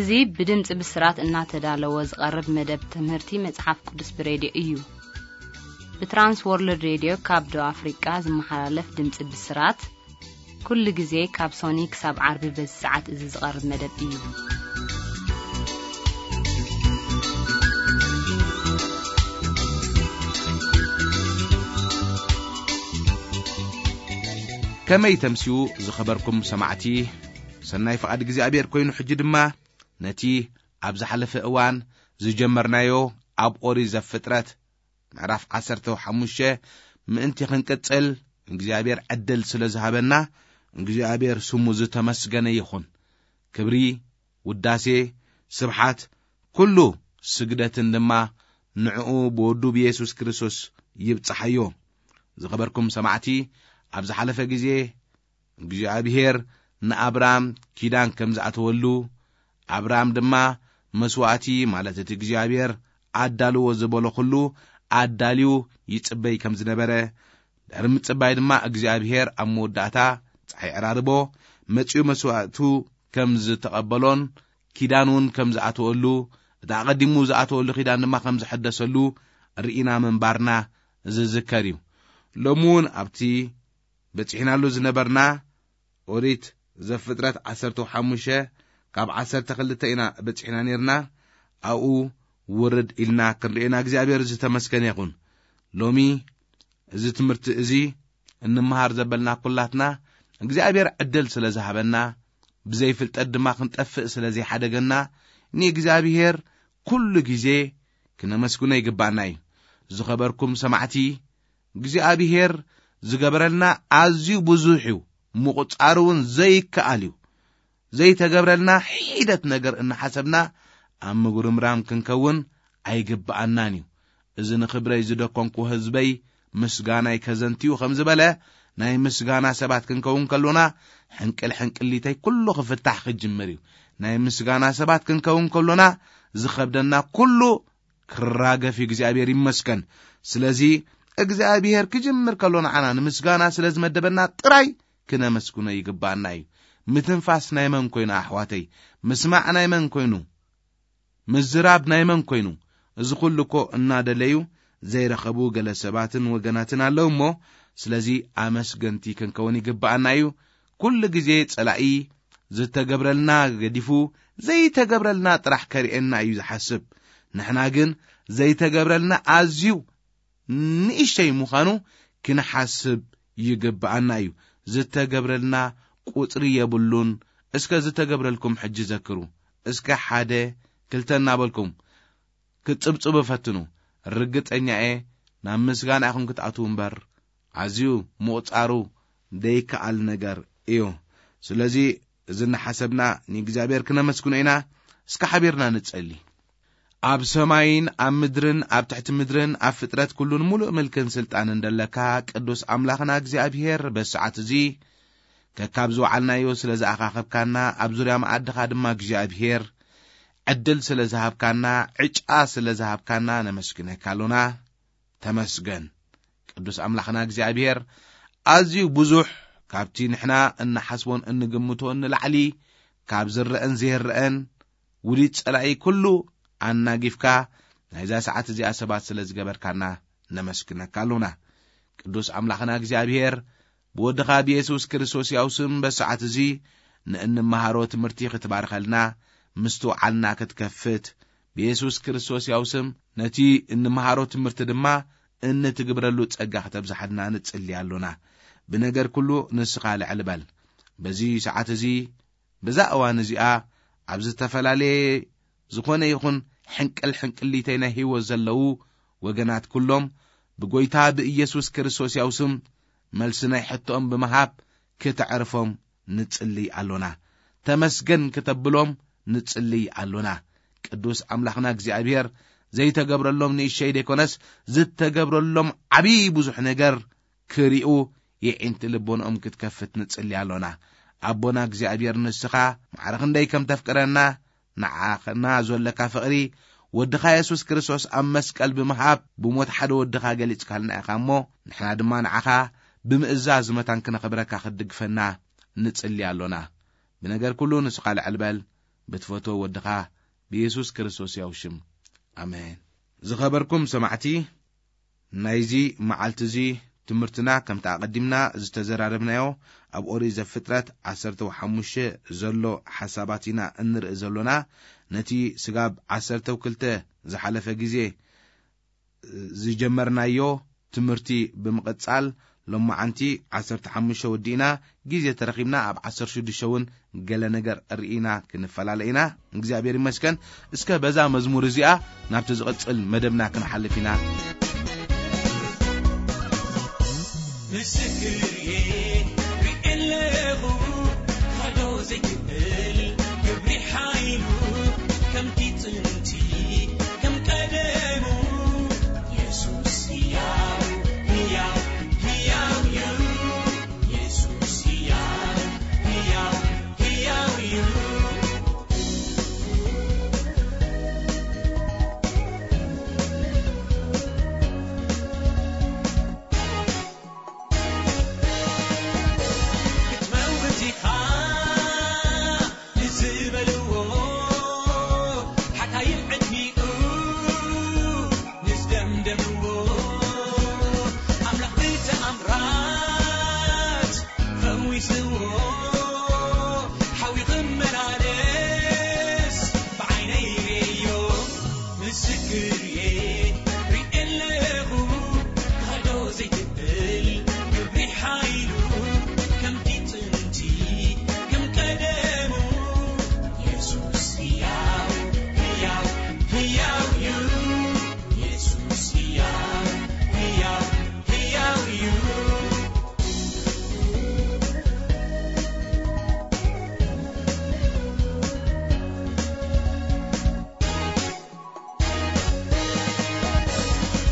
እዚ ብድምፂ ብስራት እናተዳለወ ዝቐርብ መደብ ትምህርቲ መጽሓፍ ቅዱስ ብሬድዮ እዩ። ብትራንስ ወርልድ ሬድዮ ካብ ደቡብ ኣፍሪቃ ዝመሓላለፍ ድምፂ ብስራት፣ ኩሉ ግዜ ካብ ሶኒ ክሳብ ዓርቢ በዚ ሰዓት እዚ ዝቐርብ መደብ እዩ። ከመይ ተምስዩ ዝኸበርኩም ሰማዕቲ፣ ሰናይ ፍቓድ እግዚኣብሔር ኮይኑ፣ ሕጂ ድማ ነቲ ኣብ ዝሓለፈ እዋን ዝጀመርናዮ ኣብ ኦሪት ዘፍጥረት ምዕራፍ ዓሰርተ ሓሙሽተ ምእንቲ ክንቅጽል እግዚኣብሔር ዕድል ስለ ዝሃበና እግዚኣብሔር ስሙ ዝተመስገነ ይኹን። ክብሪ፣ ውዳሴ፣ ስብሓት፣ ኩሉ ስግደትን ድማ ንዕኡ ብወዱ ብየሱስ ክርስቶስ ይብጽሓዮ። ዝኸበርኩም ሰማዕቲ፣ ኣብ ዝሓለፈ ግዜ እግዚኣብሔር ንኣብራም ኪዳን ከም ዝኣተወሉ፣ ኣብራም ድማ መስዋእቲ፣ ማለት እቲ እግዚኣብሔር ኣዳልዎ ዝበሎ ኩሉ ኣዳልዩ ይጽበይ ከም ዝነበረ፣ ድሕሪ ምጽባይ ድማ እግዚኣብሔር ኣብ መወዳእታ ጸሓይ ዕራርቦ መጺኡ መስዋእቱ ከም ዝተቐበሎን ኪዳን እውን ከም ዝኣተወሉ፣ እቲ ኣቐዲሙ ዝኣተወሉ ኪዳን ድማ ከም ዝሐደሰሉ ርኢና ምንባርና ዝዝከር እዩ። ሎሚ እውን ኣብቲ በጺሕናሉ ዝነበርና ኦሪት ዘፍጥረት ዓሰርተ ሓሙሽተ ካብ ዓሰርተ ክልተ ኢና በጺሕና ነርና። ኣብኡ ውርድ ኢልና ክንርእየና እግዚኣብሔር ዝተመስገነ ይኹን። ሎሚ እዚ ትምህርቲ እዚ እንመሃር ዘበልና ኩላትና እግዚኣብሔር ዕድል ስለ ዝሃበና፣ ብዘይፍልጠት ድማ ክንጠፍእ ስለ ዘይሓደገና፣ ንእግዚኣብሔር ኩሉ ግዜ ክነመስግኖ ይግባኣና እዩ። ዝኸበርኩም ሰማዕቲ፣ እግዚኣብሔር ዝገበረልና ኣዝዩ ብዙሕ እዩ፣ ምቑጻር እውን ዘይከኣል እዩ። ዘይተገብረልና ሒደት ነገር እናሓሰብና ኣብ ምጉርምራም ክንከውን ኣይግብኣናን እዩ። እዚ ንኽብረይ ዝደኮንኩ ህዝበይ ምስጋናይ ከዘንትዩ ከም ዝበለ፣ ናይ ምስጋና ሰባት ክንከውን ከሎና፣ ሕንቅል ሕንቅሊተይ ኩሉ ክፍታሕ ክጅምር እዩ። ናይ ምስጋና ሰባት ክንከውን ከሎና፣ ዝኸብደና ኩሉ ክራገፍ እዩ። እግዚኣብሔር ይመስገን። ስለዚ እግዚኣብሔር ክጅምር ከሎ ንዓና ንምስጋና ስለ ዝመደበና ጥራይ ክነመስግኖ ይግባኣና እዩ። ምትንፋስ ናይ መን ኮይኑ ኣሕዋተይ? ምስማዕ ናይ መን ኮይኑ? ምዝራብ ናይ መን ኮይኑ? እዚ ኩሉ እኮ እናደለዩ ዘይረኸቡ ገለ ሰባትን ወገናትን ኣለዉ እሞ፣ ስለዚ ኣመስገንቲ ክንከውን ይግባኣና እዩ። ኩሉ ግዜ ጸላኢ ዝተገብረልና ገዲፉ ዘይተገብረልና ጥራሕ ከርእየና እዩ ዝሓስብ። ንሕና ግን ዘይተገብረልና ኣዝዩ ንእሽተይ ምዃኑ ክንሓስብ ይግብኣና እዩ። ዝተገብረልና ቁጽሪ የብሉን። እስከ ዝተገብረልኩም ሕጂ ዘክሩ። እስከ ሓደ፣ ክልተ እናበልኩም ክትጽብጽቡ ፈትኑ። ርግጸኛ እየ ናብ ምስጋና ኢኹም ክትኣትዉ እምበር፣ ኣዝዩ ምቑጻሩ ዘይከኣል ነገር እዩ። ስለዚ እዚ እናሓሰብና ንእግዚኣብሔር ክነመስግኖ ኢና። እስከ ሓቢርና ንጸሊ። ኣብ ሰማይን ኣብ ምድርን ኣብ ትሕቲ ምድርን ኣብ ፍጥረት ኩሉን ሙሉእ ምልክን ስልጣንን ደለካ ቅዱስ ኣምላኽና እግዚኣብሔር፣ በዚ ሰዓት እዚ ከካብ ዝወዓልናዮ ስለ ዝኣኻኸብካና፣ ኣብ ዙርያ መኣድኻ ድማ እግዚኣብሔር ዕድል ስለ ዝሃብካና፣ ዕጫ ስለ ዝሃብካና ነመስግነካ ኣሎና። ተመስገን። ቅዱስ ኣምላኽና እግዚኣብሔር ኣዝዩ ብዙሕ ካብቲ ንሕና እንሓስቦን እንግምቶን ንላዕሊ ካብ ዝረአን ዘይረአን ውዲት ጸላኢ ኩሉ ኣናጊፍካ ናይዛ ሰዓት እዚኣ ሰባት ስለ ዝገበርካና ነመስግነካ ኣሎና። ቅዱስ ኣምላኽና እግዚኣብሔር ብወድኻ ብየሱስ ክርስቶስ ያው ስም በሰዓት እዚ ንእንመሃሮ ትምህርቲ ክትባርኸልና ምስትውዓልና ክትከፍት ብየሱስ ክርስቶስ ያው ስም ነቲ እንመሃሮ ትምህርቲ ድማ እንትግብረሉ ጸጋ ክተብዝሓልና ንጽሊ ኣሎና። ብነገር ኩሉ ንስኻ ልዕል በል። በዚ ሰዓት እዚ፣ በዛ እዋን እዚኣ ኣብ ዝተፈላለየ ዝኾነ ይኹን ሕንቅል ሕንቅሊተይ ናይ ህይወት ዘለዉ ወገናት ኩሎም ብጎይታ ብኢየሱስ ክርስቶስ ያው ስም መልሲ ናይ ሕቶኦም ብምሃብ ክተዕርፎም ንጽልይ ኣሎና። ተመስገን ክተብሎም ንጽልይ ኣሎና። ቅዱስ ኣምላኽና እግዚኣብሔር ዘይተገብረሎም ንእሸይ ደይኮነስ ዝተገብረሎም ዓብዪ ብዙሕ ነገር ክሪኡ የዒንቲ ልቦንኦም ክትከፍት ንጽሊ ኣሎና። ኣቦና እግዚኣብሔር ንስኻ ማዕረ ክንደይ ከም ተፍቅረና ንዓና ዘለካ ፍቕሪ ወድኻ የሱስ ክርስቶስ ኣብ መስቀል ብምሃብ ብሞት ሓደ ወድኻ ገሊጽካልና ኢኻ እሞ ንሕና ድማ ንዓኻ ብምእዛዝ መታን ክነኽብረካ ክትድግፈና ንጽሊ ኣሎና። ብነገር ኩሉ ንስኻ ልዕል በል። ብትፈትዎ ወድኻ ብየሱስ ክርስቶስ ያው ሽም። ኣሜን። ዝኸበርኩም ሰማዕቲ፣ ናይዚ መዓልቲ እዚ ትምህርትና ከምቲ ኣቐዲምና ዝተዘራረብናዮ ኣብ ኦሪት ዘፍጥረት ዓሰርተ ሓሙሽተ ዘሎ ሓሳባት ኢና እንርኢ ዘሎና። ነቲ ስጋብ ዓሰርተ ክልተ ዝሓለፈ ግዜ ዝጀመርናዮ ትምህርቲ ብምቕጻል፣ ሎማዓንቲ ዓሰርተ ሓሙሽተ ወዲእና፣ ግዜ ተረኺብና ኣብ ዓሰርተ ሽዱሽተ እውን ገለ ነገር ርኢና ክንፈላለ ኢና። እግዚኣብሔር ይመስገን። እስከ በዛ መዝሙር እዚኣ ናብቲ ዝቕጽል መደብና ክንሓልፍ ኢና። ምስክር እየ ሪኤ ኣለኹ፣ ክሕዶ ዘይክእል ግብሪ ሓይሉ፣ ከምቲ ጥንቲ ከም ቀደሙ። የሱስ ህያው፣ ህያው፣ ህያው እዩ። የሱስ ህያው፣ ህያው፣ ህያው እዩ። ክትመውት ኢኻ ንዝበልዎ ሓካይም ዕድሚኡ ንዝደምደምዎ ኣምላኽ ብተኣምራት ፈዊስዎ ሓዊ ክመላለስ ብዓይነይ ርእዮ። ምስክር እየ ሪኤ ኣለኹ፣ ክሕዶ ዘይክእል ግብሪ ሓይሉ፣ ከምቲ ጥንቲ ከም ቀደሙ። የሱስ ህያው፣ ህያው፣ ህያው እዩ። የሱስ ህያው፣ ህያው፣ ህያው እዩ።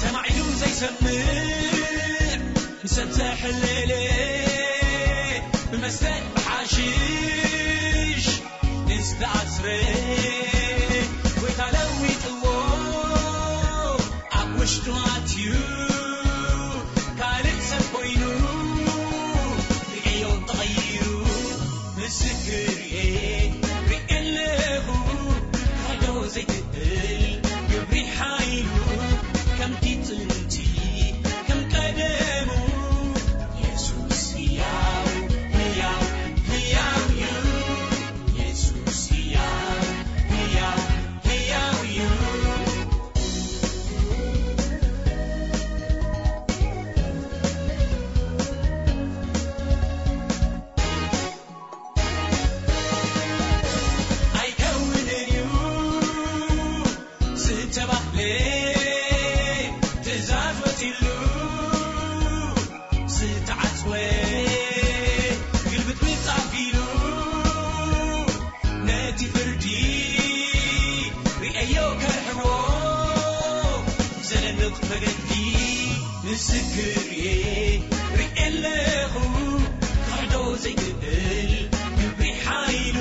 ተማዒዱ ዘይሰምዕ ንሰብ ዘሕለለ፣ ብመስተ ብሓሽሽ ንዝተኣስረ፣ ጎይታ ለዊጥዎ ኣብ ውሽጡ ኣትዩ፣ ካልእ ሰብ ኮይኑ ርእዮ ተቐይሩ። ምስክር እየ ርእየ ኣለኹ፣ ክሕዶ ዘይክእል ግብሪ ሓይሉ፣ ከምቲ ጥንቲ ከም ቀደሙ። የሱስ ህያው፣ ህያው፣ ህያው እዩ። የሱስ ህያው፣ ህያው፣ ህያው እዩ። ኣይከውንን እዩ ዝተባህለ፣ ትእዛዝ ወጺሉ ዝተዓጽወ፣ ግልብጥብጥ ኣቢሉ ነቲ ፍርዲ ርእዮ ከርሕዎ ዘደንቕ ፈገግቲ። ምስክር እየ ርእየ ኣለኹ፣ ክሕዶ ዘይክእል ግብሪ ሓይሉ፣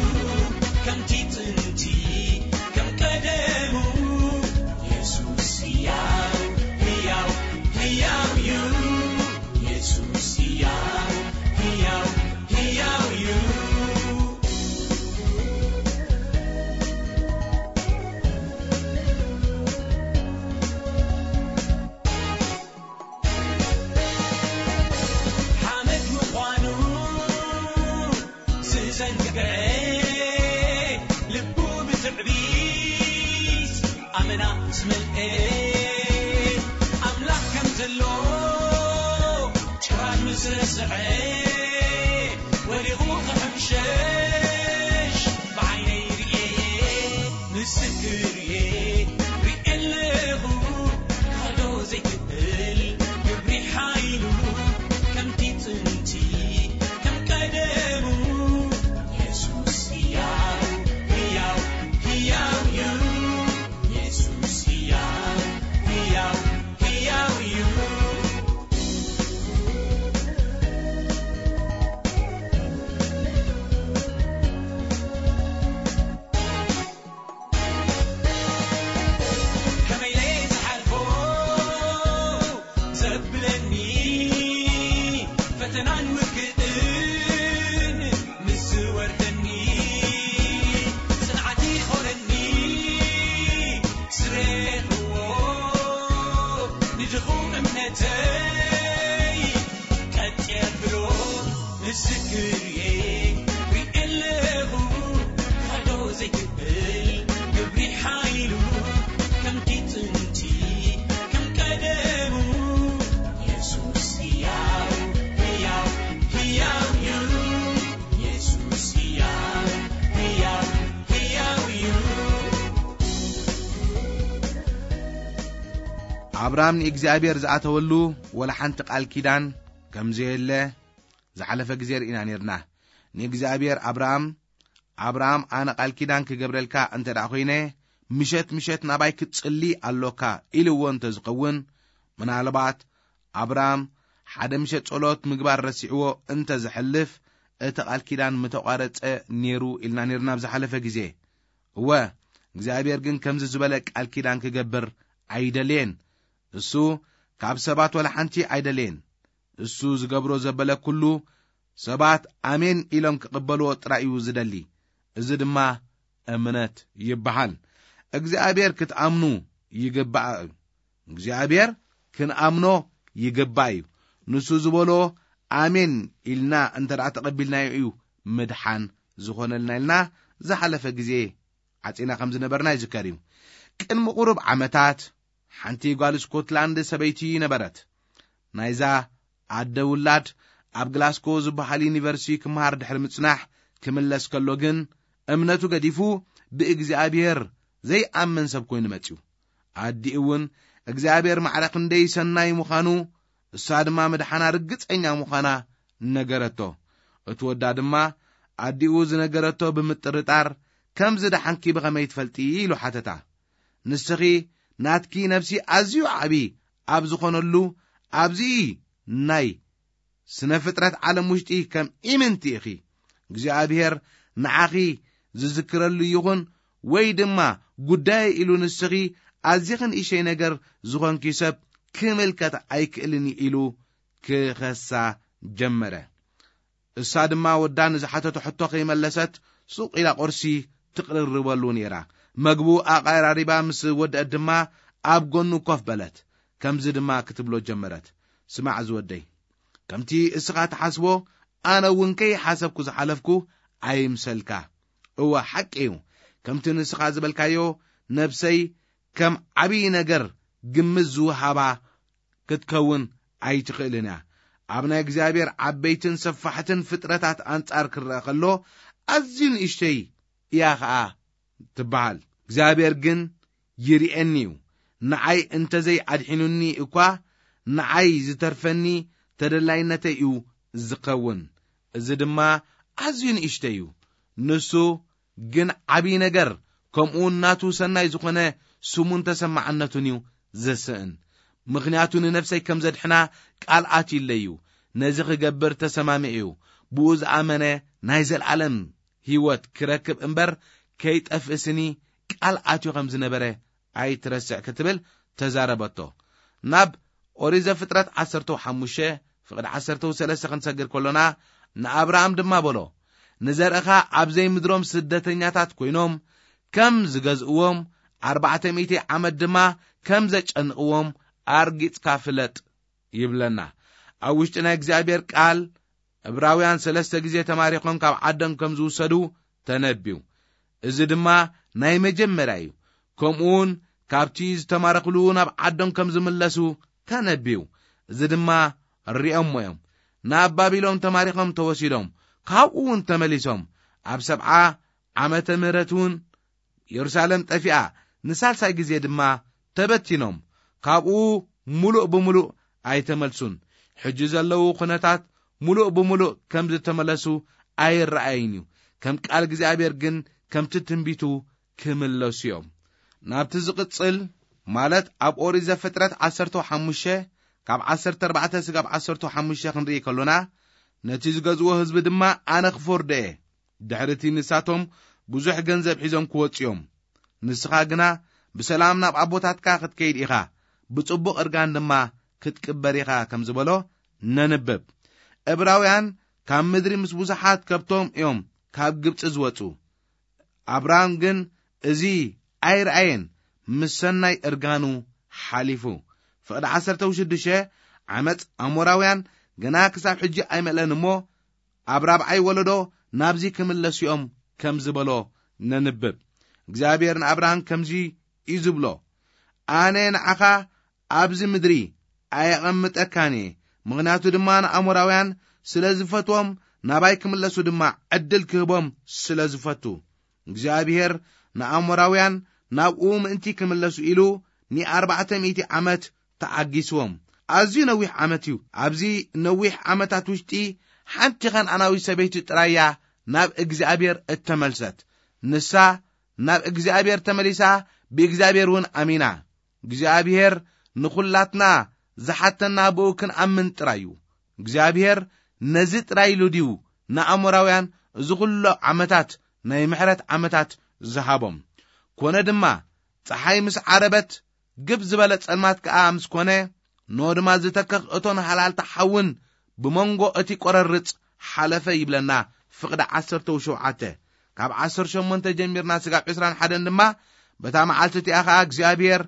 ከምቲ ጥንቲ ከም ቀደሙ። የሱስ ህያው፣ ህያው፣ ህያው እዩ። የሱስ ህያው፣ ህያው፣ ህያው እዩ። ሓመድ ምዃኑ ዝዘንግዐ፣ ልቡ ብትዕቢት ኣመና ዝመልአ፣ ኣምላኽ ከም ዘሎ ጭራሽ ምስ ረስዐ፣ ወዲቑ ክሕምሸሽ ብዓይነይ ርእየ፣ ምስክር እየ ርእየ ኣለኹ፣ ክሕዶ ዘይክእል ግብሪ ሓይሉ፣ ከምቲ ጥንቲ ከም ቀደሙ። የሱስ ህያው፣ ህያው፣ ህያው እዩ። የሱስ ህያው፣ ህያው፣ ህያው እዩ። ከመይ ኢለ ዝሓልፎ ዘብለኒ፣ ፈተናን ውግእን ምስ ዝወርደኒ፣ ጽንዓት ሰይ ቀጥ የብሎ ምስክርዬ ሪኤለኹ ካዶ ዘይክብል ግብሪ ሓይሉ ከምቲ ጥንቲ ከም ቀደሙ የሱስ ሕያው ሕያው ሕያው እዩ። የሱስ ሕያው ሕያው ሕያው እዩ። ኣብራም ንእግዚኣብሔር ዝኣተወሉ ወላ ሓንቲ ቃል ኪዳን ከም ዘየለ ዝሓለፈ ግዜ ርኢና ነርና። ንእግዚኣብሔር ኣብራም ኣብራም ኣነ ቃል ኪዳን ክገብረልካ እንተ ደኣ ኮይነ ምሸት ምሸት ናባይ ክትጽሊ ኣሎካ ኢልዎ እንተ ዝኸውን፣ ምናልባት ኣብራም ሓደ ምሸት ጸሎት ምግባር ረሲዕዎ እንተ ዝሕልፍ እቲ ቃል ኪዳን ምተቋረጸ ነይሩ ኢልና ነርና ኣብ ዝሓለፈ ግዜ። እወ እግዚኣብሔር ግን ከምዚ ዝበለ ቃል ኪዳን ክገብር ኣይደልየን። እሱ ካብ ሰባት ወላ ሓንቲ ኣይደልየን። እሱ ዝገብሮ ዘበለ ኩሉ ሰባት ኣሜን ኢሎም ክቕበልዎ ጥራይ እዩ ዝደሊ። እዚ ድማ እምነት ይበሃል። እግዚኣብሔር ክትኣምኑ ይግባእ እዩ። እግዚኣብሔር ክንኣምኖ ይግባእ እዩ። ንሱ ዝበሎ ኣሜን ኢልና እንተ ደኣ ተቐቢልናዮ እዩ ምድሓን ዝኾነልና ኢልና ዝሓለፈ ግዜ ዓጺና ከም ዝነበርና ይዝከር እዩ። ቅድሚ ቁሩብ ዓመታት ሓንቲ ጓል ስኮትላንድ ሰበይቲ ነበረት። ናይዛ ኣደ ውላድ ኣብ ግላስኮ ዝበሃል ዩኒቨርሲቲ ክመሃር ድሕሪ ምጽናሕ ክምለስ ከሎ ግን እምነቱ ገዲፉ ብእግዚኣብሔር ዘይኣምን ሰብ ኮይኑ መጺኡ። ኣዲኡ እውን እግዚኣብሔር ማዕረ ክንደይ ሰናይ ምዃኑ እሳ ድማ ምድሓና ርግጸኛ ምዃና ነገረቶ። እቲ ወዳ ድማ ኣዲኡ ዝነገረቶ ብምጥርጣር ከም ዝደሓንኪ ብኸመይ ትፈልጢ ኢሉ ሓተታ። ንስኺ ናትኪ ነፍሲ ኣዝዩ ዓቢ ኣብ ዝኾነሉ ኣብዚ ናይ ስነ ፍጥረት ዓለም ውሽጢ ከም ኢምንቲ ኢኺ። እግዚኣብሔር ንዓኺ ዝዝክረሉ ይኹን ወይ ድማ ጉዳይ ኢሉ ንስኺ ኣዚኺ ንእሽተይ ነገር ዝኾንኪ ሰብ ክምልከት ኣይክእልን ኢሉ ክኸሳ ጀመረ። እሳ ድማ ወዳ ንዝሓተቶ ሕቶ ከይመለሰት ሱቕ ኢላ ቁርሲ ትቕርርበሉ ነይራ። መግቡ ኣቐራሪባ ምስ ወደአት ድማ ኣብ ጎኑ ኮፍ በለት። ከምዚ ድማ ክትብሎ ጀመረት፣ ስማዕ ዝወደይ፣ ከምቲ እስኻ ትሓስቦ ኣነ እውን ከይሓሰብኩ ዝሓለፍኩ ኣይምሰልካ። እወ ሓቂ እዩ፣ ከምቲ ንስኻ ዝበልካዮ ነብሰይ ከም ዓብዪ ነገር ግምት ዝውሃባ ክትከውን ኣይትኽእልን እያ። ኣብ ናይ እግዚኣብሔር ዓበይትን ሰፋሕትን ፍጥረታት ኣንጻር ክረአ ከሎ ኣዝዩ ንእሽተይ እያ ኸኣ ትበሃል። እግዚኣብሔር ግን ይርኤኒ እዩ። ንዓይ እንተዘይ ኣድሒኑኒ እኳ ንዓይ ዝተርፈኒ ተደላይነተይ እዩ ዝኸውን። እዚ ድማ ኣዝዩ ንእሽተይ እዩ። ንሱ ግን ዓብዪ ነገር ከምኡውን ናቱ ሰናይ ዝኾነ ስሙን ተሰማዕነቱን እዩ ዘስእን። ምኽንያቱ ንነፍሰይ ከም ዘድሕና ቃል ኣትዩለይ እዩ። ነዚ ክገብር ተሰማሚዑ እዩ። ብኡ ዝኣመነ ናይ ዘለኣለም ህይወት ክረክብ እምበር ከይጠፍእ ስኒ ቃል ኣትዩ ከም ዝነበረ ኣይትረስዕ ክትብል ተዛረበቶ። ናብ ኦሪት ዘፍጥረት ዓሰርተ ሓሙሽተ ፍቕዲ ዓሰርተ ሰለስተ ክንሰግር ከሎና ንኣብርሃም ድማ በሎ፣ ንዘርእኻ ኣብ ዘይምድሮም ስደተኛታት ኮይኖም ከም ዝገዝእዎም ኣርባዕተ ሚእቲ ዓመት ድማ ከም ዘጨንቕዎም ኣርጊጽካ ፍለጥ ይብለና። ኣብ ውሽጢ ናይ እግዚኣብሔር ቃል ዕብራውያን ሰለስተ ግዜ ተማሪኾም ካብ ዓዶም ከም ዝውሰዱ ተነብዩ። እዚ ድማ ናይ መጀመርያ እዩ። ከምኡውን ካብቲ ዝተማረኽሉ ናብ ዓዶም ከም ዝምለሱ ተነብዩ። እዚ ድማ ሪኦሞ እዮም። ናብ ባቢሎን ተማሪኾም ተወሲዶም፣ ካብኡ እውን ተመሊሶም። ኣብ ሰብዓ ዓመተ ምህረት እውን የሩሳሌም ጠፊኣ፣ ንሳልሳይ ግዜ ድማ ተበቲኖም፣ ካብኡ ምሉእ ብምሉእ ኣይተመልሱን። ሕጂ ዘለዉ ኩነታት ምሉእ ብምሉእ ከም ዝተመለሱ ኣይረኣይን እዩ። ከም ቃል እግዚኣብሔር ግን ከምቲ ትንቢቱ ክምለሱ እዮም። ናብቲ ዝቕጽል፣ ማለት ኣብ ኦሪት ዘፍጥረት ዓሰርተ ሓሙሽተ ካብ ዓሰርተ ኣርባዕተ ስጋብ ዓሰርተ ሓሙሽተ ክንርኢ ከሎና፣ ነቲ ዝገዝዎ ህዝቢ ድማ ኣነ ክፈርዶ እየ። ድሕሪ እቲ ንሳቶም ብዙሕ ገንዘብ ሒዞም ክወጹ እዮም። ንስኻ ግና ብሰላም ናብ ኣቦታትካ ክትከይድ ኢኻ፣ ብጽቡቕ እርጋን ድማ ክትቅበር ኢኻ ከም ዝበሎ ነንብብ። ዕብራውያን ካብ ምድሪ ምስ ብዙሓት ከብቶም እዮም ካብ ግብጺ ዝወጹ። ኣብርሃም ግን እዚ ኣይረኣየን፣ ምስ ሰናይ እርጋኑ ሓሊፉ። ፍቕዲ ዓሰርተ ሽዱሽተ ዓመፅ ኣሞራውያን ገና ክሳብ ሕጂ ኣይመልአን እሞ፣ ኣብ ራብዓይ ወለዶ ናብዚ ክምለሱ እዮም ከም ዝበሎ ነንብብ። እግዚኣብሔር ንኣብርሃም ከምዚ እዩ ዝብሎ፣ ኣነ ንዓኻ ኣብዚ ምድሪ ኣየቐምጠካን እየ፣ ምኽንያቱ ድማ ንኣሞራውያን ስለ ዝፈትዎም፣ ናባይ ክምለሱ ድማ ዕድል ክህቦም ስለ ዝፈቱ። እግዚኣብሔር ንኣሞራውያን ናብኡ ምእንቲ ክምለሱ ኢሉ ንኣርባዕተ ሚእቲ ዓመት ተዓጊስዎም። ኣዝዩ ነዊሕ ዓመት እዩ። ኣብዚ ነዊሕ ዓመታት ውሽጢ ሓንቲ ኸነኣናዊት ሰበይቲ ጥራይ እያ ናብ እግዚኣብሔር እተመልሰት። ንሳ ናብ እግዚኣብሔር ተመሊሳ፣ ብእግዚኣብሔር እውን ኣሚና። እግዚኣብሔር ንኹላትና ዝሓተና ብኡ ክንኣምን ጥራይ እዩ። እግዚኣብሔር ነዚ ጥራይ ኢሉ ድዩ ንኣሞራውያን እዚ ኹሉ ዓመታት ናይ ምሕረት ዓመታት ዝሃቦም? ኮነ ድማ፣ ጸሓይ ምስ ዓረበት፣ ግብ ዝበለ ጸልማት ከኣ ምስ ኮነ፣ ኖ ድማ ዝተከኽ እቶን ሃላልታ ሓውን ብመንጎ እቲ ቆረርጽ ሓለፈ ይብለና። ፍቕዲ ዓሰርተ ሸውዓተ፣ ካብ ዓሰርተ ሸሞንተ ጀሚርና ስጋብ ዕስራን ሓደን ድማ፣ በታ መዓልቲ እቲኣ ኸኣ እግዚኣብሔር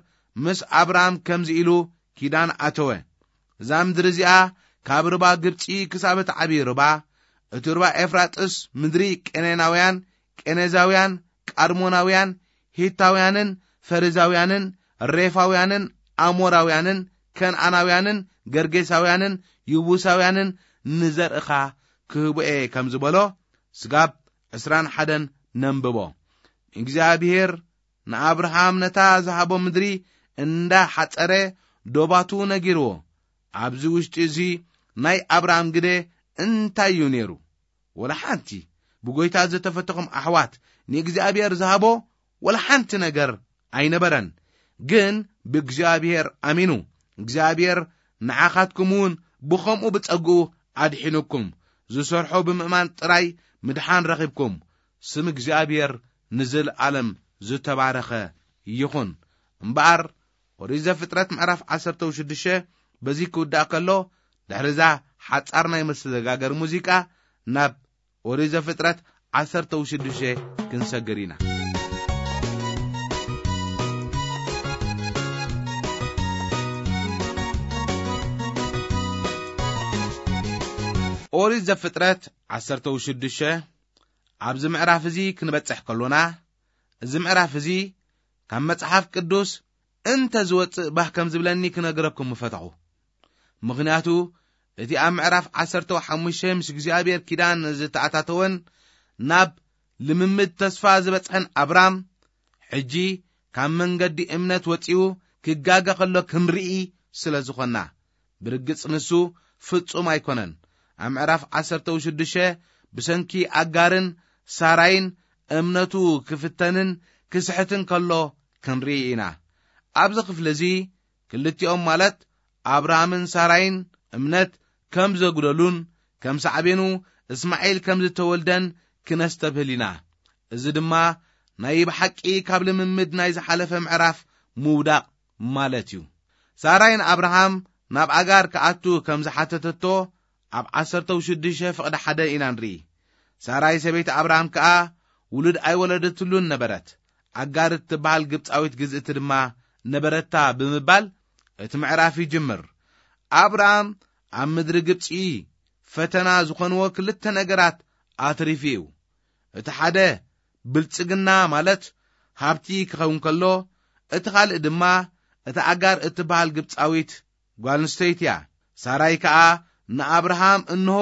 ምስ ኣብራም ከምዚ ኢሉ ኪዳን ኣተወ። እዛ ምድሪ እዚኣ ካብ ርባ ግብጺ ክሳብ እቲ ዓብዪ ርባ፣ እቲ ርባ ኤፍራጥስ፣ ምድሪ ቄኔናውያን፣ ቄኔዛውያን፣ ቃድሞናውያን፣ ሂታውያንን ፈሪዛውያንን ሬፋውያንን ኣሞራውያንን ከነኣናውያንን ገርጌሳውያንን ይቡሳውያንን ንዘርእኻ ክህቦ እየ ከም ዝበሎ፣ ስጋብ ዕስራን ሓደን ነንብቦ። እግዚኣብሔር ንኣብርሃም ነታ ዝሃቦ ምድሪ እንዳ ሓጸረ ዶባቱ ነጊርዎ። ኣብዚ ውሽጢ እዚ ናይ ኣብርሃም ግደ እንታይ እዩ ነይሩ? ወላ ሓንቲ። ብጎይታ ዝተፈተኹም ኣሕዋት፣ ንእግዚኣብሔር ዝሃቦ ወላ ሓንቲ ነገር ኣይነበረን። ግን ብእግዚኣብሔር ኣሚኑ፣ እግዚኣብሔር ንዓኻትኩም እውን ብኸምኡ ብጸግኡ ኣድሒኑኩም። ዝሰርሖ ብምእማን ጥራይ ምድሓን ረኺብኩም። ስም እግዚኣብሔር ንዘለኣለም ዝተባረኸ ይኹን። እምበኣር ኦሪት ዘፍጥረት ምዕራፍ ዓሰርተ ሽዱሽተ በዚ ክውዳእ ከሎ፣ ድሕሪ እዛ ሓጻር ናይ መሰጋገሪ ሙዚቃ ናብ ኦሪት ዘፍጥረት ዓሰርተ ሽዱሽተ ክንሰግር ኢና። ኦሪት ዘፍጥረት ዓሰርተ ሽዱሽተ ኣብዚ ምዕራፍ እዚ ክንበጽሕ ከሎና፣ እዚ ምዕራፍ እዚ ካብ መጽሓፍ ቅዱስ እንተ ዝወጽእ ባህ ከም ዝብለኒ ክነግረኩም ምፈተኹ። ምኽንያቱ፣ እቲ ኣብ ምዕራፍ ዓሰርተ ሓሙሽተ ምስ እግዚኣብሔር ኪዳን ዝተኣታተወን ናብ ልምምድ ተስፋ ዝበጽሐን ኣብራም፣ ሕጂ ካብ መንገዲ እምነት ወጺኡ ክጋገ ከሎ ክንርኢ ስለ ዝኾንና፣ ብርግጽ ንሱ ፍጹም ኣይኮነን። ኣብ ምዕራፍ ዓሰርተ ሽዱሽተ ብሰንኪ ኣጋርን ሳራይን እምነቱ ክፍተንን ክስሕትን ከሎ ክንርኢ ኢና። ኣብዚ ክፍሊ እዚ ክልቲኦም ማለት ኣብርሃምን ሳራይን እምነት ከም ዘጉደሉን ከም ሳዕቤኑ እስማዒል ከም ዝተወልደን ክነስተብህል ኢና። እዚ ድማ ናይ ብሓቂ ካብ ልምምድ ናይ ዝሓለፈ ምዕራፍ ምውዳቕ ማለት እዩ። ሳራይ ንኣብርሃም ናብ ኣጋር ክኣቱ ከም ዝሓተተቶ ኣብ ዓሰርተ ሽዱሽተ ፍቕዲ ሓደ ኢና ንርኢ። ሳራይ ሰበይቲ ኣብርሃም ከኣ ውሉድ ኣይወለደትሉን ነበረት። ኣጋር እትበሃል ግብጻዊት ግዝእቲ ድማ ነበረታ ብምባል እቲ ምዕራፍ ይጅምር። ኣብርሃም ኣብ ምድሪ ግብጺ ፈተና ዝኾንዎ ክልተ ነገራት ኣትሪፉ እዩ። እቲ ሓደ ብልጽግና ማለት ሃብቲ ክኸውን ከሎ፣ እቲ ካልእ ድማ እታ ኣጋር እትበሃል ግብጻዊት ጓል ኣንስተይቲ እያ። ሳራይ ከኣ ንኣብርሃም፣ "እንሆ፣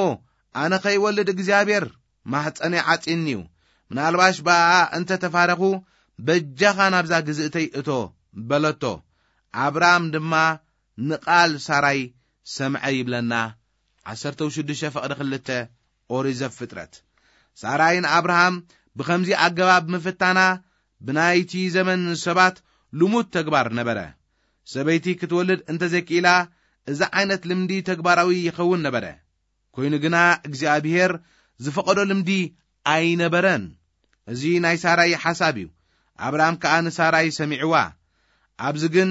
ኣነ ኸይወልድ እግዚኣብሔር ማሕፀነይ ዓጺኒ እዩ። ምናልባሽ ብኣኣ እንተ ተፋረኹ፣ በጃኻ ናብዛ ግዝእተይ እቶ" በለቶ። ኣብርሃም ድማ ንቓል ሳራይ ሰምዐ ይብለና። ዓሰርተ ሽዱሽተ ፍቕዲ ክልተ ኦሪት ዘፍጥረት። ሳራይ ንኣብርሃም ብኸምዚ ኣገባብ ምፍታና ብናይቲ ዘመን ሰባት ልሙድ ተግባር ነበረ። ሰበይቲ ክትወልድ እንተዘይክኢላ፣ እዚ ዓይነት ልምዲ ተግባራዊ ይኸውን ነበረ። ኮይኑ ግና እግዚኣብሔር ዝፈቐዶ ልምዲ ኣይነበረን። እዚ ናይ ሳራይ ሓሳብ እዩ። ኣብርሃም ከኣ ንሳራይ ሰሚዕዋ። ኣብዚ ግን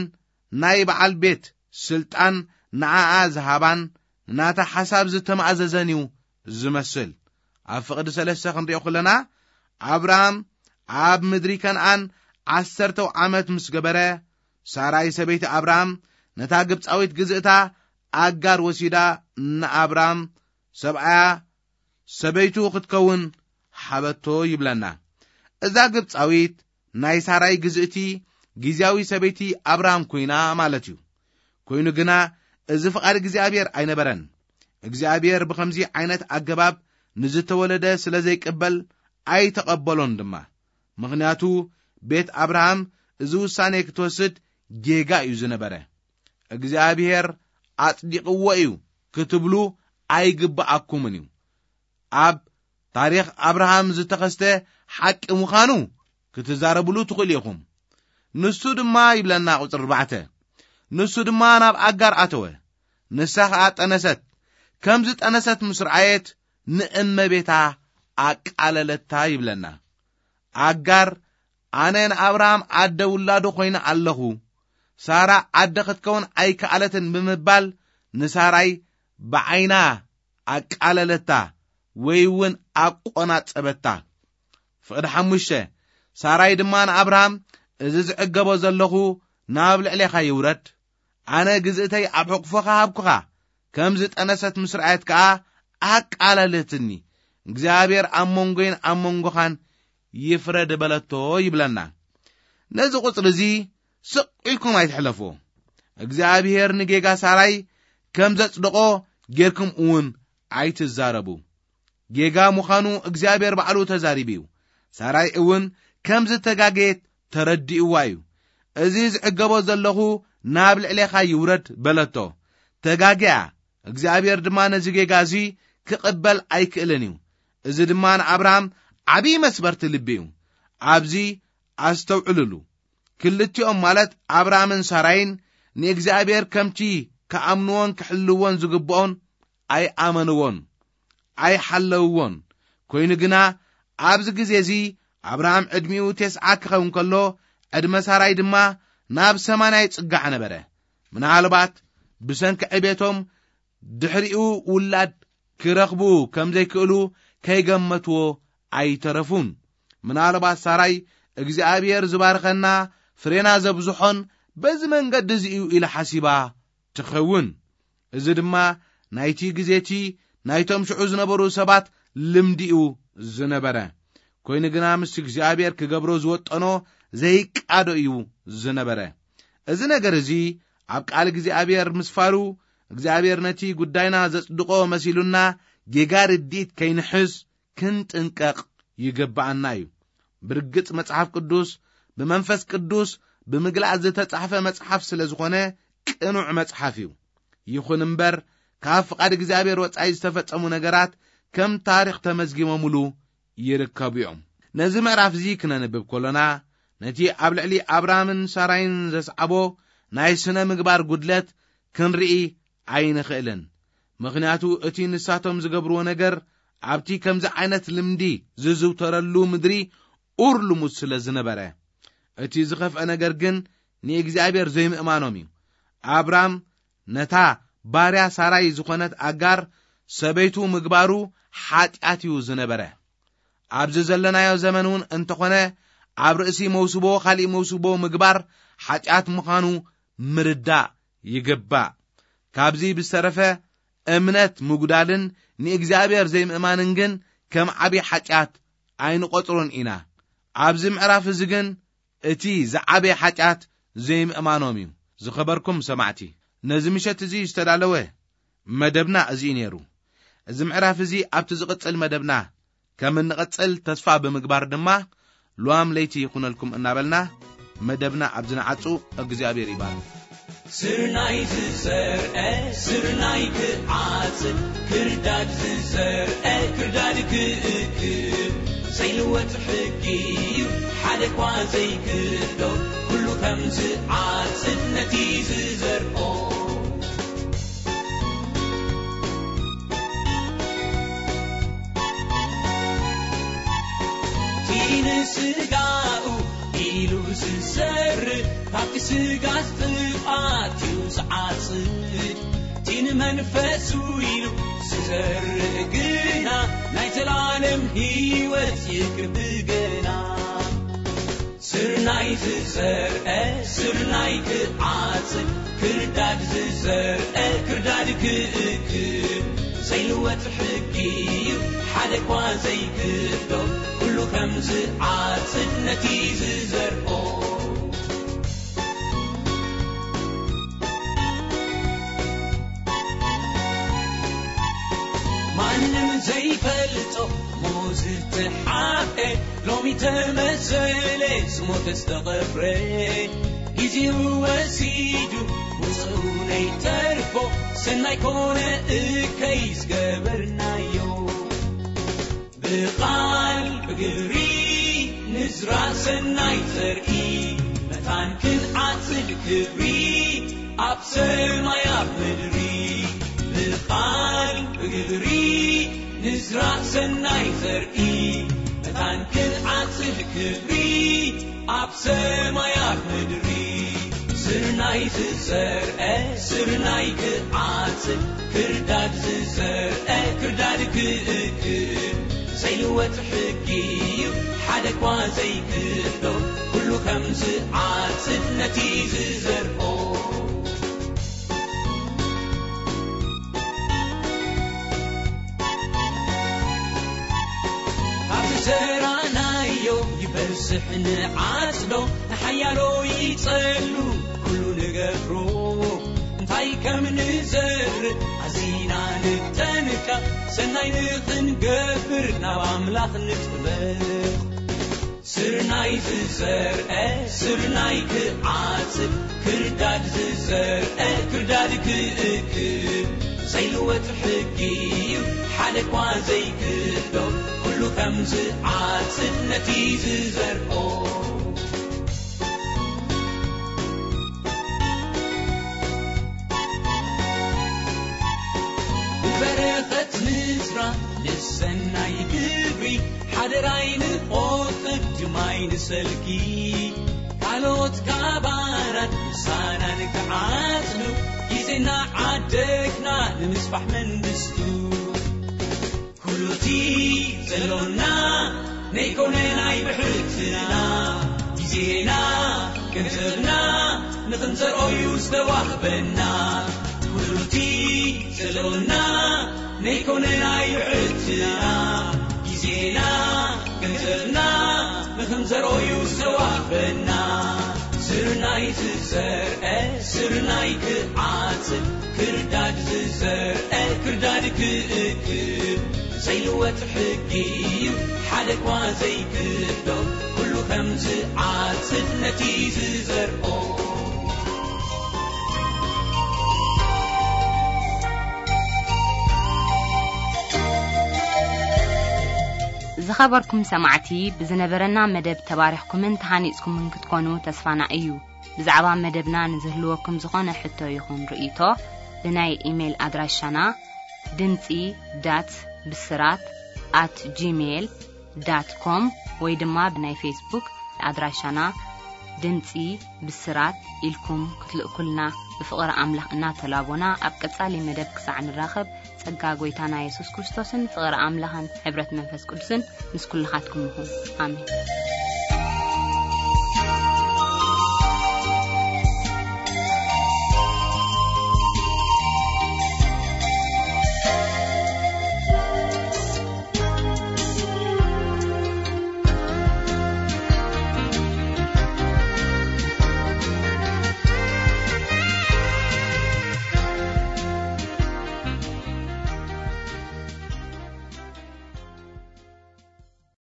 ናይ በዓል ቤት ስልጣን ንዓኣ ዝሃባን ንናታ ሓሳብ ዝተማእዘዘን እዩ ዝመስል። ኣብ ፍቕዲ ሰለስተ ክንሪኦ ከለና፣ ኣብርሃም ኣብ ምድሪ ከነኣን ዓሰርተው ዓመት ምስ ገበረ፣ ሳራይ ሰበይቲ ኣብርሃም ነታ ግብጻዊት ግዝእታ ኣጋር ወሲዳ ንኣብራም ሰብኣያ ሰበይቱ ክትከውን ሓበቶ ይብለና። እዛ ግብፃዊት ናይ ሳራይ ግዝእቲ ግዝያዊ ሰበይቲ ኣብራም ኮይና ማለት እዩ። ኮይኑ ግና እዚ ፍቓድ እግዚኣብሔር ኣይነበረን። እግዚኣብሔር ብኸምዚ ዓይነት ኣገባብ ንዝተወለደ ስለ ዘይቅበል ኣይተቐበሎን ድማ። ምኽንያቱ ቤት ኣብርሃም እዚ ውሳኔ ክትወስድ ጌጋ እዩ ዝነበረ። እግዚኣብሔር ኣጽዲቕዎ እዩ ክትብሉ ኣይግብኣኩምን እዩ። ኣብ ታሪኽ ኣብርሃም ዝተኸስተ ሓቂ ምዃኑ ክትዛረብሉ ትኽእሉ ኢኹም። ንሱ ድማ ይብለና ቁጽሪ ኣርባዕተ፣ ንሱ ድማ ናብ ኣጋር ኣተወ፣ ንሳ ኸኣ ጠነሰት። ከም ዝጠነሰት ምስ ረኣየት ንእመቤታ ኣቃለለታ ይብለና። ኣጋር ኣነ ንኣብርሃም ኣደ ውላዱ ኮይነ ኣለኹ፣ ሳራ ኣደ ክትከውን ኣይከኣለትን ብምባል ንሳራይ ብዓይና ኣቃለለታ ወይ እውን ኣቆናጸበታ። ፍቕዲ ሓሙሽተ፣ ሳራይ ድማ ንኣብርሃም እዚ ዝዕገቦ ዘለኹ ናብ ልዕሌኻ ይውረድ፣ ኣነ ግዝእተይ ኣብ ሕቑፎኻ ሃብኩኻ፣ ከም ዝጠነሰት ምስ ረኣየት ከኣ ኣቃለለትኒ። እግዚኣብሔር ኣብ መንጎይን ኣብ መንጎኻን ይፍረድ በለቶ ይብለና። ነዚ ቁጽሪ እዚ ስቕ ኢልኩም ኣይትሕለፍዎ። እግዚኣብሔር ንጌጋ ሳራይ ከም ዘጽደቖ ጌርኩም እውን ኣይትዛረቡ። ጌጋ ምዃኑ እግዚኣብሔር ባዕሉ ተዛሪቡ እዩ። ሳራይ እውን ከም ዝተጋገየት ተረዲእዋ እዩ። እዚ ዝዕገቦ ዘለኹ ናብ ልዕሌኻ ይውረድ በለቶ። ተጋግያ። እግዚኣብሔር ድማ ነዚ ጌጋ እዚ ክቕበል ኣይክእልን እዩ። እዚ ድማ ንኣብርሃም ዓብዪ መስበርቲ ልቢ እዩ። ኣብዚ ኣስተውዕሉሉ። ክልቲኦም ማለት ኣብርሃምን ሳራይን ንእግዚኣብሔር ከምቲ ክኣምንዎን ክሕልዎን ዝግብኦን ኣይኣመንዎን፣ ኣይሓለውዎን። ኮይኑ ግና ኣብዚ ግዜ እዚ ኣብርሃም ዕድሚኡ ተስዓ ክኸውን ከሎ፣ ዕድመ ሳራይ ድማ ናብ ሰማንያ ይጽጋዕ ነበረ። ምናልባት ብሰንኪ ዕቤቶም ድሕሪኡ ውላድ ክረኽቡ ከም ዘይክእሉ ከይገመትዎ ኣይተረፉን። ምናልባት ሳራይ እግዚኣብሔር ዝባርኸና ፍሬና ዘብዝሖን በዚ መንገዲ እዚ እዩ ኢላ ሓሲባ ትኸውን። እዚ ድማ ናይቲ ግዜ እቲ ናይቶም ሽዑ ዝነበሩ ሰባት ልምዲ እዩ ዝነበረ። ኮይኑ ግና ምስቲ እግዚኣብሔር ክገብሮ ዝወጠኖ ዘይቃዶ እዩ ዝነበረ። እዚ ነገር እዚ ኣብ ቃል እግዚኣብሔር ምስፋሩ እግዚኣብሔር ነቲ ጉዳይና ዘጽድቖ መሲሉና ጌጋ ርድኢት ከይንሕዝ ክንጥንቀቕ ይግብኣና እዩ። ብርግጽ መጽሓፍ ቅዱስ ብመንፈስ ቅዱስ ብምግላጽ ዝተጻሕፈ መጽሓፍ ስለ ዝኾነ ቅኑዕ መጽሓፍ እዩ። ይኹን እምበር ካብ ፍቓድ እግዚኣብሔር ወጻኢ ዝተፈጸሙ ነገራት ከም ታሪኽ ተመዝጊቦምሉ ይርከቡ እዮም። ነዚ ምዕራፍ እዚ ክነንብብ ከሎና ነቲ ኣብ ልዕሊ ኣብራምን ሳራይን ዘስዓቦ ናይ ስነ ምግባር ጉድለት ክንርኢ ኣይንኽእልን። ምኽንያቱ እቲ ንሳቶም ዝገብርዎ ነገር ኣብቲ ከምዚ ዓይነት ልምዲ ዝዝውተረሉ ምድሪ ኡር ልሙድ ስለ ዝነበረ። እቲ ዝኸፍአ ነገር ግን ንእግዚኣብሔር ዘይምእማኖም እዩ። ኣብራም ነታ ባርያ ሳራይ ዝኾነት ኣጋር ሰበይቱ ምግባሩ ሓጢኣት እዩ ዝነበረ። ኣብዚ ዘለናዮ ዘመን እውን እንተኾነ ኣብ ርእሲ መውስቦ ካሊእ መውስቦ ምግባር ሓጢኣት ምዃኑ ምርዳእ ይግባእ። ካብዚ ብዝተረፈ እምነት ምጉዳልን ንእግዚኣብሔር ዘይምእማንን ግን ከም ዓብዪ ሓጢኣት ኣይንቖጽሮን ኢና። ኣብዚ ምዕራፍ እዚ ግን እቲ ዝዓበየ ሓጢኣት ዘይምእማኖም እዩ። ዝኸበርኩም ሰማዕቲ፣ ነዚ ምሸት እዚ ዝተዳለወ መደብና እዚ እዩ ነይሩ። እዚ ምዕራፍ እዚ ኣብቲ ዝቕጽል መደብና ከም እንቕጽል ተስፋ ብምግባር ድማ፣ ልዋም ለይቲ ይኹነልኩም እናበልና መደብና ኣብዚ ንዓጹ። እግዚኣብሔር ይባርክ። ስርናይ ዝዘርአ ስርናይ ክዓጽድ፣ ክርዳድ ዝዘርአ ክርዳድ ክእክብ፣ ዘይልወጥ ሕጊ እዩ ሓደ እኳ ዘይክዶ፣ ኩሉ ከም ዝዓጽድ ነቲ ዝዘርኦ። እቲ ንስጋኡ ኢሉ ዝሰርእ፣ ካብቲ ስጋ ጥፍኣት እዩ ዝዓጽድ። እቲ ንመንፈሱ ኢሉ ዝዘርእ ግና ናይ ዘላለም ህይወት ይክብ ገና። ስርናይ ዝዘርአ ስርናይ ክዓጽድ፣ ክርዳድ ዝዘርአ ክርዳድ ክእክብ፣ ዘይልወጥ ሕጊ እዩ፣ ሓደ እኳ ዘይክእሎ፣ ኩሉ ከም ዝዓጽድ ነቲ ዝዘርኦ። ማንም ዘይፈልጦ ሞት ዝተሓብኤ፣ ሎሚ ተመሰለ ዝሞተ ዝተቐብረ። ግዜኡ ወሲዱ ውፅኡ ነይተርፎ፣ ሰናይ ኮነ እከይ ዝገበርናዮ። ብቓል ብግብሪ ንዝራእ ሰናይ ዘርኢ፣ መታን ክንዓጽድ ክብሪ ኣብ ሰማይ ኣብ ምድሪ። ብቓል ብግብሪ ንዝራእ ሰናይ ዘርኢ፣ መታን ክንዓጽድ ክብሪ ኣብ ሰማይ ኣብ ምድሪ። ስርናይ ዝዘርአ ስርናይ ክዓጽድ፣ ክርዳድ ዝዘርአ ክርዳድ ክእክብ፣ ዘይልወጥ ሕጊ እዩ፣ ሓደ እኳ ዘይክእሎ፣ ኩሉ ከም ዝዓጽድ ነቲ ዝዘርኦ። ካብ ዝዘራእናዮ ይበዝሕ ንዓጽዶ፣ ንሓያሎ ይጸሉ ኩሉ ንገብሮ። እንታይ ከም ንዘርእ ኣዚና ንጠንቀቕ፣ ሰናይ ንኽንገብር ናብ ኣምላኽ ንጥበቕ። ስርናይ ዝዘርአ ስርናይ ክዓጽድ፣ ክርዳድ ዝዘርአ ክርዳድ ክእክብ፣ ዘይልወጥ ሕጊ እዩ፣ ሓደ እኳ ዘይክእሎ፣ ኩሉ ከም ዝዓጽድ ነቲ ዝዘርኦ። ብበረኸት ምዝራእ ንሰናይ ግብሪ፣ ሓደራይ ንቆጥብ ድማይ ንሰልኪ። ካልኦት ካባናን ምሳናን ክዓጽዱ፣ ግዜና ዓደግና ንምስፋሕ መንግስቱ። ኩሉቲ ዘሎና ነይኮነ ናይ ብሕትና፣ ግዜና ገንዘብና ንኽንዘርኦዩ ዝተዋህበና። ኩሉቲ ዘሎና ነይኮነ ናይ ብሕትና፣ ግዜና ገንዘብና ንኽንዘርኦዩ ዝተዋህበና። ስርናይ ዝዘርአ ስርናይ ክዓጽድ፣ ክርዳድ ዝዘርአ ክርዳድ ክእክብ፣ ዘይልወጥ ሕጊ እዩ፣ ሓደ እኳ ዘይክእሎ፣ ኩሉ ከም ዝዓጽድ ነቲ ዝዘርኦ። ዝኸበርኩም ሰማዕቲ፣ ብዝነበረና መደብ ተባሪኽኩምን ተሃኒጽኩምን ክትኮኑ ተስፋና እዩ። ብዛዕባ መደብና ንዝህልወኩም ዝኾነ ሕቶ ይኹን ርእይቶ፣ ብናይ ኢሜይል ኣድራሻና ድምጺ ዳት ብስራት ኣት ጂሜይል ዳት ኮም ወይ ድማ ብናይ ፌስቡክ ኣድራሻና ድምጺ ብስራት ኢልኩም ክትልእኩልና ብፍቕሪ ኣምላኽ እናተላቦና፣ ኣብ ቀጻሊ መደብ ክሳዕ ንራኸብ፣ ጸጋ ጐይታና የሱስ ክርስቶስን ፍቕሪ ኣምላኽን ሕብረት መንፈስ ቅዱስን ምስ ኩልኻትኩም ይኹን። ኣሜን።